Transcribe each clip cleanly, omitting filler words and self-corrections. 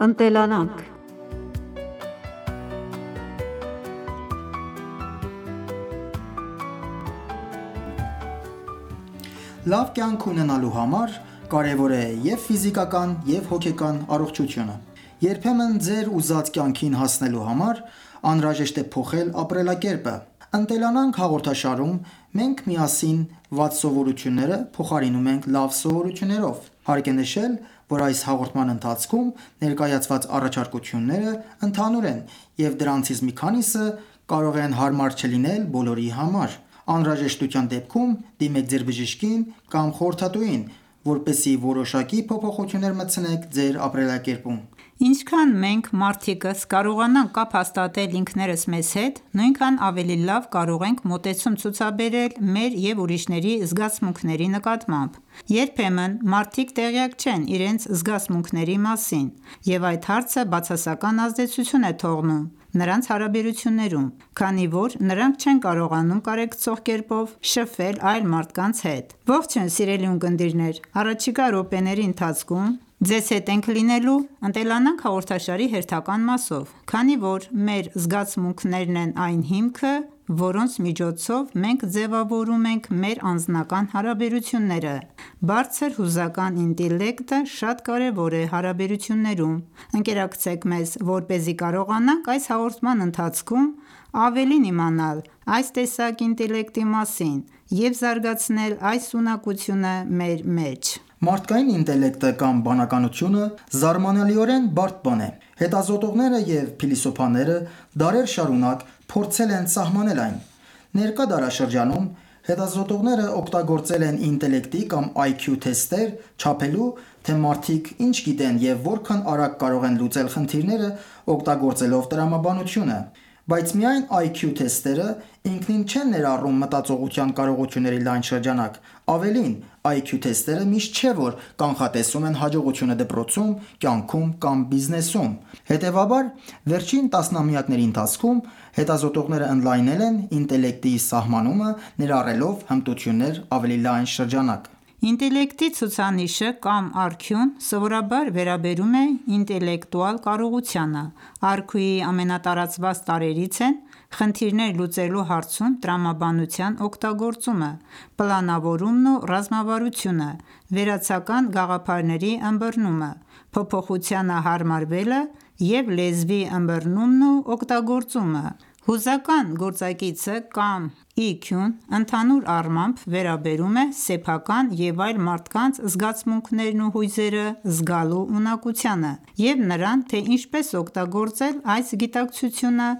Ընտելանանք։ Լավ կյանք ունենալու համար կարևոր է և ֆիզիկական, և հոգեկան առողջությունը։ Երբեմն ձեր ուզած կյանքին հասնելու համար անհրաժեշտ է փոխել ապրելակերպը։ «Ընտելանանք» հաղորդաշարում մենք միասին վատ սովորությունները փոխարինում ենք լավ սովորություններով։ Հարկ է նշել, որ այս հաղորդման ընթացքում ներկայացված առաջարկությունները ընդհանուր են, և դրանցից մի քանիսը կարող են հարմար չլինել բոլորի համար։ Անհրաժեշտության դեպքում դիմեք ձեր բժշկին կամ խորհրդատուին, որպեսզի որոշակի փոփոխություններ մտցնեք ձեր ապրելակերպում։ Ինչքան մենք մարդիկս կարողանանք կապ հաստատել ինքներս մեզ հետ, նույնքան ավելի լավ կարող ենք մոտեցում ցուցաբերել մեր և ուրիշների զգացմունքների նկատմամբ։ Երբեմն մարդիկ տեղյակ չեն իրենց զգացմունքների մասին, և այդ հարցը բացասական ազդեցություն է թողնում նրանց հարաբերություններում, քանի որ նրանք չեն կարողանում կարեկցող կերպով շփվել այլ մարդկանց հետ։ Ողջույն սիրելի ունկնդիրներ, առաջիկա րոպեների ընթացքում ձեզ հետ ենք լինելու «Ընտելանանք» հաղորդաշարի հերթական մասով, քանի որ մեր զգացմունքներն են այն հիմքը, որոնց միջոցով մենք ձևավորում ենք մեր անձնական հարաբերությունները։ Բարձր հուզական ինտելեկտը շատ կարևոր է հարաբերություններում։ Ընկերակցեք մեզ, որպեսզի կարողանանք այս հաղորդման ընթացքում ավելին իմանալ այս տեսակ ինտելեկտի մասին և զարգացնել այս ունակությունը մեր մեջ։ Մարդկային ինտելեկտը կամ բանականությունը զարմանալիորեն բարդ բան է։ Հետազոտողները և փիլիսոփաները դարեր շարունակ փորձել են սահմանել այն։ Ներկա դարաշրջանում հետազոտողները օգտագործել են ինտելեկտի կամ IQ թեստեր՝ չափելու, թե մարդիկ ինչ գիտեն և որքան արագ կարող են լուծել խնդիրները՝ օգտագործելով տրամաբանությունը։ Բայց միայն IQ թեստերը ինքնին չեն ներառում մտածողության կարողությունների լայն շրջանակ։ Ավելին, IQ թեստերը միշտ չէ, որ կանխատեսում են հաջողությունը դպրոցում, կյանքում կամ բիզնեսում։ Հետևաբար, վերջին տասնամյակների ընթացքում հետազոտողները ընդլայնել են ինտելեկտի սահմանումը՝ ներառելով հմտություններ ավելի լայն շրջանակ։ Ինտելեկտի ցուցանիշը կամ IQ-ն սովորաբար վերաբերում է ինտելեկտուալ կարողությանը։ IQ-ի ամենատարածված տարրերից են խնդիրներ լուծելու հարցում տրամաբանության օգտագործումը, պլանավորումն ու ռազմավարությունը, վերացական գաղափարների ըմբռնումը, փոփոխությանը հարմարվելը և լեզվի ըմբռնումն ու օգտագործումը։ Հուզական գործակիցը կամ EQ-ն ընդհանուր առմամբ վերաբերում է սեփական և այլ մարդկանց զգացմունքներն ու հույզերը զգալու ունակությանը և նրան, թե ինչպես օգտագործել այս գիտակցությունը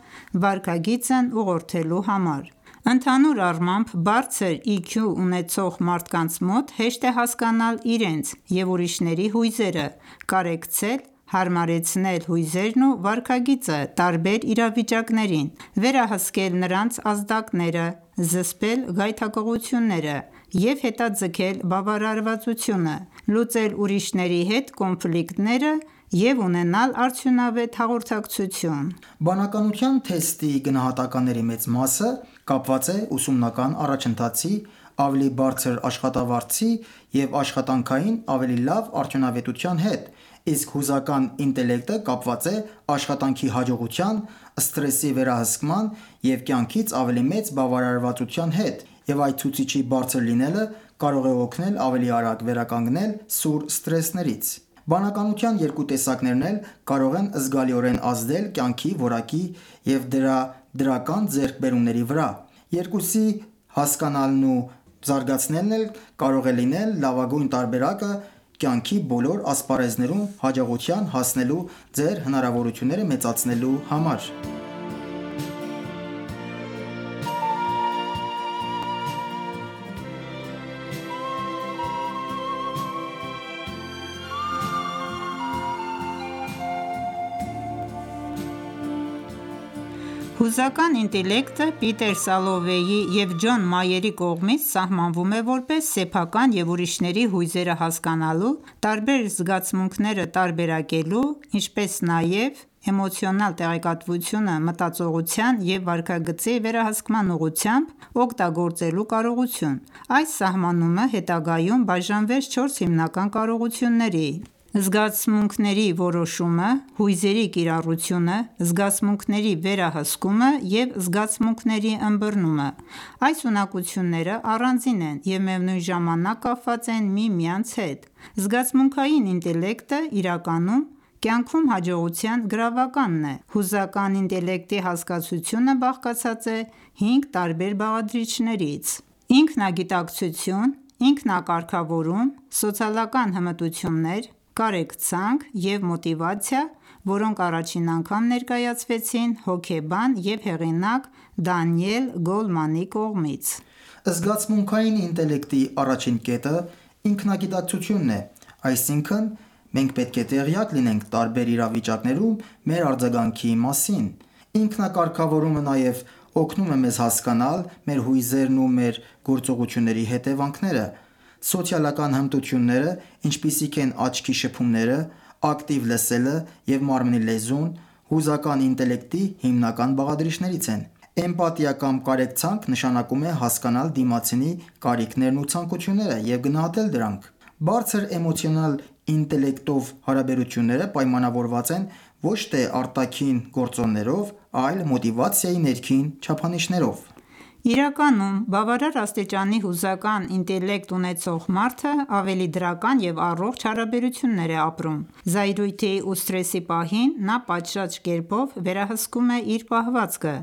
վարքագիծն ուղղորդելու համար։ Ընդհանուր առմամբ, բարձր EQ ունեցող մարդկանց մոտ հեշտ է հասկանալ իրենց և ուրիշների հույզերը, կարեկցել, հարմարեցնել հույզերն ու վարքագիծը տարբեր իրավիճակներին, վերահսկել նրանց ազդակները, զսպել գայթակղությունները և հետաձգել բավարարվածությունը, լուծել ուրիշների հետ կոնֆլիկտները և ունենալ արդյունավետ հաղորդակցություն։ Բանականության թեստի գնահատականների մեծ մասը կապված է ուսումնական առաջընթացի, ավելի բարձր աշխատավարձի և աշխատանքային ավելի լավ արդյունավետության հետ, իսկ հուզական ինտելեկտը կապված է աշխատանքի հաջողության, սթրեսի վերահսկման և կյանքից ավելի մեծ բավարարվածության հետ, և այդ ցուցիչի բարձր լինելը կարող է օգնել ավելի արագ վերականգնել սուր սթրեսներից։ Բանականության երկու տեսակներն էլ կարող են զգալիորեն ազդել կյանքի որակի և դրա դրական ձեռքբերումների վրա։ Երկուսի հասկանալն ու զարգացնելն էլ կարող է լինել լավագույն տարբերակը կյանքի բոլոր ասպարեզներում հաջողության հասնելու ձեր հնարավորությունները մեծացնելու համար։ Հուզական ինտելեկտը Պիտեր Սալովեյի և Ջոն Մայերի կողմից սահմանվում է որպես սեփական և ուրիշների հույզերը հասկանալու, տարբեր զգացմունքները տարբերակելու, ինչպես նաև էմոցիոնալ տեղեկատվությունը մտածողության և վարքագծի վերահսկման ուղղությամբ օգտագործելու կարողություն: Այս սահմանումը հետագայում բաժանվեց 4 հիմնական կարողությունների՝ զգացմունքների որոշումը, հույզերի կիրառությունը, զգացմունքների վերահսկումը և զգացմունքների ըմբռնումը: Այս ունակությունները առանձին են և միևնույն ժամանակ կապված են միմյանց հետ: Զգացմունքային ինտելեկտը իրականում կյանքում հաջողության գրավականն է: Հուզական ինտելեկտի հասկացությունը բաղկացած է 5 տարբեր բաղադրիչներից՝ ինքնագիտակցություն, ինքնակարգավորում, սոցիալական հմտություններ, կարեկցանք և մոտիվացիա, որոնք առաջին անգամ ներկայացվեցին հոգեբան և հեղինակ Դանիել Գոլմանի կողմից: Զգացմունքային ինտելեկտի առաջին կետը ինքնագիտակցությունն է, այսինքն մենք պետք է տեղյակ լինենք տարբեր իրավիճակներում մեր արձագանքի մասին: Ինքնակարգավորումը նաև օգնում է մեզ հասկանալ մեր հույզերն ու մեր գործողությունների հետևանքները: Սոցիալական հմտությունները, ինչպիսիք են աչքի շփումները, ակտիվ լսելը և մարմնի լեզուն, հուզական ինտելեկտի հիմնական բաղադրիչներից են: Էմպաթիա կամ կարեկցանք նշանակում է հասկանալ դիմացինի կարիքներն ու ցանկությունները և գնահատել դրանք: Բարձր էմոցիոնալ ինտելեկտով հարաբերությունները պայմանավորված են ոչ թե արտաքին գործոններով, այլ մոտիվացիայի ներքին չափանիշներով: Իրականում, բավարար աստիճանի հուզական ինտելեկտ ունեցող մարդը ավելի դրական և առողջ հարաբերություններ է ապրում: Զայրույթի ու սթրեսի պահին նա պատշաճ կերպով վերահսկում է իր պահվածքը: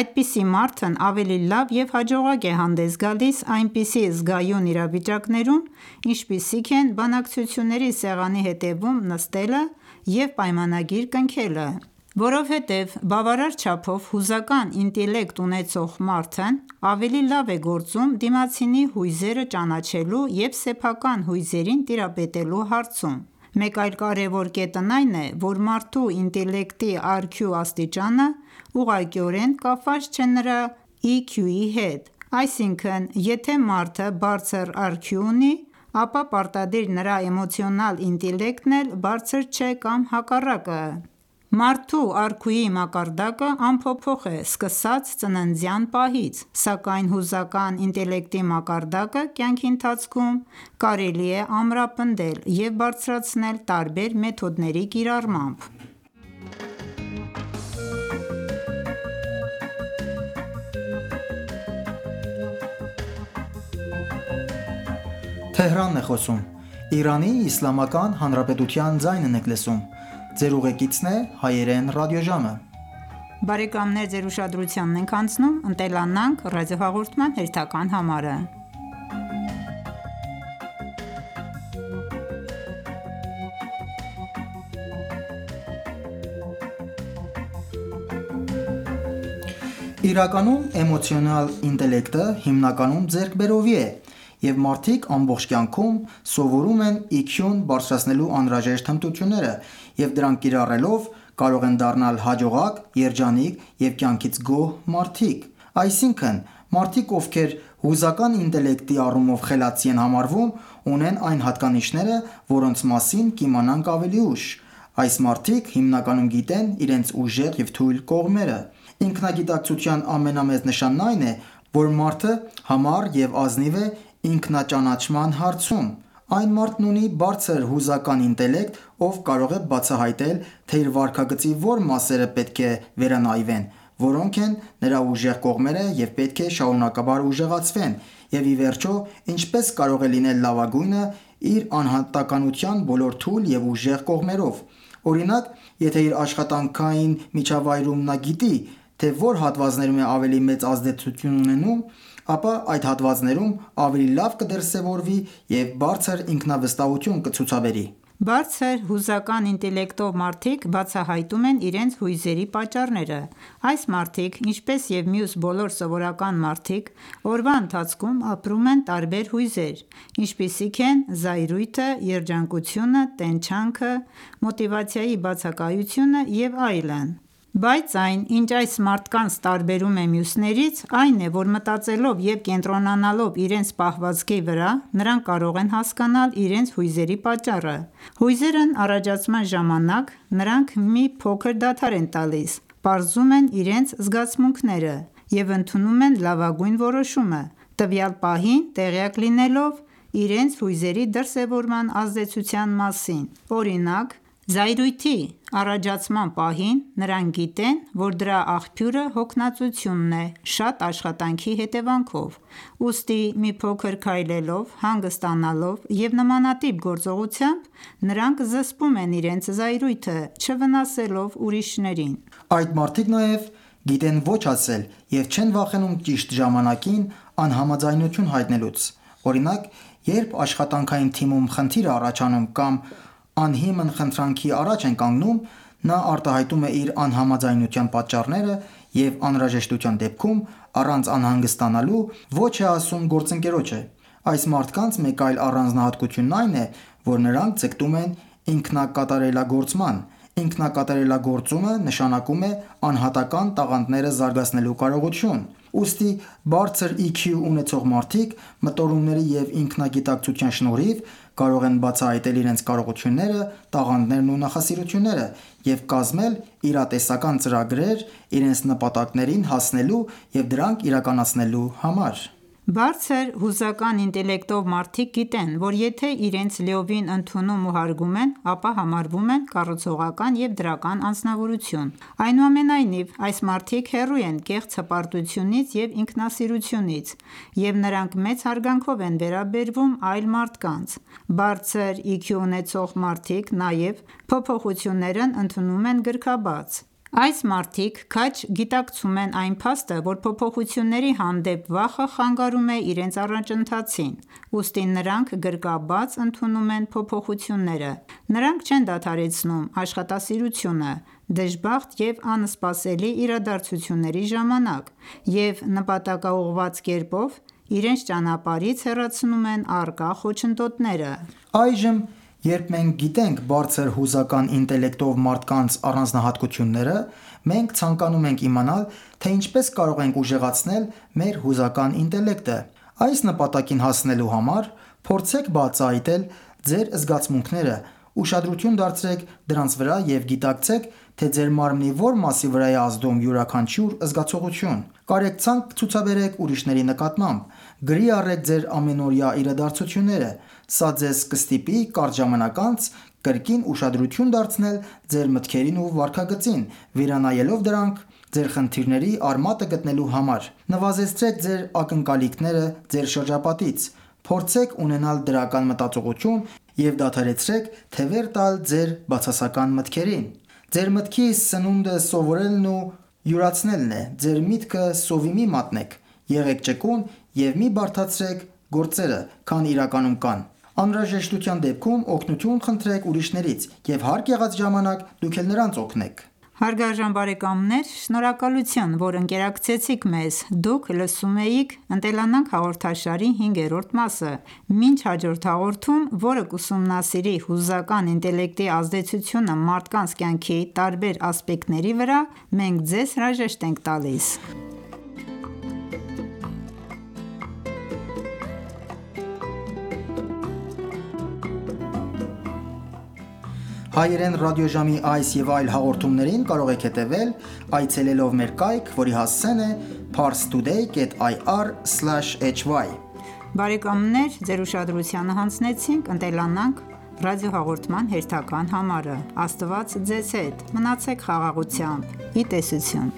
Այդպիսի մարդն ավելի լավ և հաջողակ է հանդես գալիս այնպիսի զգայուն իրավիճակներում, ինչպիսիք են բանակցությունների սեղանի հետևում նստելը և պայմանագիր կնքելը: Որովհետև բավարար չափով հուզական ինտելեկտ ունեցող մարդն ավելի լավ է գործում դիմացինի հույզերը ճանաչելու և սեփական հույզերին տիրապետելու հարցում: Մեկ այլ կարևոր կետն այն է, որ մարդու ինտելեկտի IQ աստիճանը ուղղակիորեն կապված չէ նրա EQ-ի հետ: Այսինքն, եթե մարդը բարձր IQ ունի, ապա պարտադիր նրա էմոցիոնալ ինտելեկտն էլ բարձր չէ կամ հակառակը: Մարդու IQ-ի մակարդակը անփոփոխ է սկսած ծննդյան պահից, սակայն հուզական ինտելեկտի մակարդակը կյանքի ընթացքում կարելի է ամրապնդել և բարձրացնել տարբեր մեթոդների կիրառմամբ: Իրականում էմոցիոնալ ինտելեկտը հիմնականում ձեռքբերովի է, և մարդիկ ամբողջ կյանքում սովորում են EQ-ն բարձրացնելու անհրաժեշտ հմտությունները և դրանք կիրառելով կարող են դառնալ հաջողակ, երջանիկ և կյանքից գոհ մարդիկ: Այսինքն, մարդիկ ովքեր հուզական ինտելեկտի առումով խելացի են համարվում, ունեն այն հատկանիշները, որոնց մասին կիմանանք ավելի ուշ: Այս մարդիկ հիմնականում գիտեն իրենց ուժեղ և թույլ կողմերը: Ինքնագիտակցության ամենամեծ նշանն այն է, որ մարդը համառ և ազնիվ է ինքնաճանաչման հարցում: Այն մարդն ունի բարձր հուզական ինտելեկտ, ով կարող է բացահայտել, թե իր վարքագծի որ մասերը պետք է վերանայվեն, որոնք են նրա ուժեղ կողմերը և պետք է շարունակաբար ուժեղացվեն և ի վերջո ինչպես կարող է լինել լավագույնը իր անհատականության բոլոր թույլ և ուժեղ կողմերով: Օրինակ, եթե իր աշխատանքային միջավայրում նա գիտի, թե որ հատվածներում է ավելի մեծ ազդեցություն ունենում, ապա այդ հատվածներում ավելի լավ կդրսևորվի և բարձր ինքնավստահություն կցուցաբերի: Բարձր հուզական ինտելեկտով մարդիկ բացահայտում են իրենց հույզերի պատճառները: Այս մարդիկ, ինչպես և մյուս բոլոր սովորական մարդիկ, օրվա ընթացքում ապրում են տարբեր հույզեր, ինչպիսիք են զայրույթը, երջանկությունը, տենչանքը, մոտիվացիայի բացակայությունը և այլն: Բայց այն, ինչ այս մարդկանց տարբերում է մյուսներից, այն է, որ մտածելով և կենտրոնանալով իրենց պահվածքի վրա, նրանք կարող են հասկանալ իրենց հույզերի պատճառը: Հույզերն առաջացման ժամանակ նրանք մի փոքր դադար են տալիս, պարզում են իրենց զգացմունքները և ընդունում են լավագույն որոշումը, տվյալ պահին տեղյակ լինելով իրենց հույզերի դրսևորման ազդեցության մասին: Օրինակ, զայրույթի առաջացման պահին նրանք գիտեն, որ դրա աղբյուրը հոգնածությունն է շատ աշխատանքի հետևանքով: Ուստի մի փոքր քայլելով, հանգստանալով և նմանատիպ գործողությամբ, նրանք զսպում են իրենց զայրույթը, չվնասելով ուրիշներին: Այդ մարդիկ նաև գիտեն ոչ ասել և չեն վախենում ճիշտ ժամանակին անհամաձայնություն հայտնելուց: Օրինակ, երբ աշխատանքային թիմում խնդիր է առաջանում կամ անհիմն խնդրանքի առաջ են կանգնում, նա արտահայտում է իր անհամաձայնության պատճառները և անհրաժեշտության դեպքում, առանց անհանգստանալու, ոչ է ասում գործընկերոջը: Այս մարդկանց մեկ այլ առանձնահատկությունն այն է, որ նրանք ձգտում են ինքնակատարելագործման: Ինքնակատարելագործումը նշանակում է անհատական տաղանդները զարգացնելու կարողություն: Ուստի բարձր EQ ունեցող մարդիկ մտորումների և ինքնագիտակցության շնորհիվ կարող են բացահայտել իրենց կարողությունները, տաղանդներն ու նախասիրությունները և կազմել իրատեսական ծրագրեր իրենց նպատակներին հասնելու և դրանք իրականացնելու համար: Բարձր հուզական ինտելեկտով մարդիկ գիտեն, որ եթե իրենց լիովին ընդունում ու հարգում են, ապա համարվում են կառուցողական և դրական անձնավորություն: Այնուամենայնիվ, այս մարդիկ հեռու են կեղծ հպարտությունից և ինքնասիրությունից և նրանք մեծ հարգանքով են վերաբերվում այլ մարդկանց: Բարձր EQ ունեցող մարդիկ նաև փոփոխություններն ընդունում են գրքաբաց: Այս մարդիկ քաջ գիտակցում են այն փաստը, որ փոփոխությունների հանդեպ վախը խանգարում է իրենց առաջընթացին, ուստի նրանք գրկաբաց ընդունում են փոփոխությունները: Նրանք չեն դադարեցնում աշխատասիրությունը դժբախտ և անսպասելի իրադարձությունների ժամանակ և նպատակաուղղված կերպով իրենց ճանապարհից հեռացնում են առկա խոչընդոտները: Այժմ, երբ մենք գիտենք բարձր հուզական ինտելեկտով մարդկանց առանձնահատկությունները, մենք ցանկանում ենք իմանալ, թե ինչպես կարող ենք ուժեղացնել մեր հուզական ինտելեկտը: Այս նպատակին հասնելու համար փորձեք բացահայտել ձեր զգացմունքները, ուշադրություն դարձրեք դրանց վրա և գիտակցեք, թե ձեր մարմնի որ մասի վրա է ազդում յուրաքանչյուր զգացողություն: Կարեկցանք ցուցաբերեք ուրիշների նկատմամբ: Գրի առեք ձեր ամենօրյա իրադարձությունները: Սա ձեզ կստիպի կարճ ժամանակ անց կրկին ուշադրություն դարձնել ձեր մտքերին ու վարքագծին, վերանայելով դրանք ձեր խնդիրների արմատը գտնելու համար: Նվազեցրեք ձեր ակնկալիքները ձեր շրջապատից: Փորձեք ունենալ դրական մտածողություն և դադարեցրեք թևեր տալ ձեր բացասական մտքերին: Ձեր մտքի սնունդը սովորելն ու յուրացնելն է: Ձեր միտքը սովի մի մատնեք: Եղեք ճկուն և մի բարդացրեք գործերը, քան իրականում կան: Անհրաժեշտության դեպքում օգնություն խնդրեք ուրիշներից և հարկ եղած ժամանակ դուք էլ նրանց օգնեք: Հարգարժան բարեկամներ, շնորհակալություն, որ ընկերակցեցիք մեզ: Դուք լսում էիք «Ընտելանանք» հաղորդաշարի հինգերորդ մասը: Մինչ հաջորդ հաղորդում, որը կուսումնասիրի հուզական ինտելեկտի ազդեցությունը մարդկանց կյանքի տարբեր ասպեկտների վրա, մենք ձեզ հրաժեշտ ենք տալիս: Հայերեն ռադիոժամի այս և այլ հաղորդումներին կարող եք հետևել այցելելով մեր կայք, որի հասցեն է parstoday.ir/hy: Բարեկամներ ձեր ուշադրությանը հանձնեցինք «Ընտելանանք» ռադիոհաղորդման հերթական համարը: Աստված ձեզ հետ: Մնացեք խաղաղությամբ: Ի տեսություն: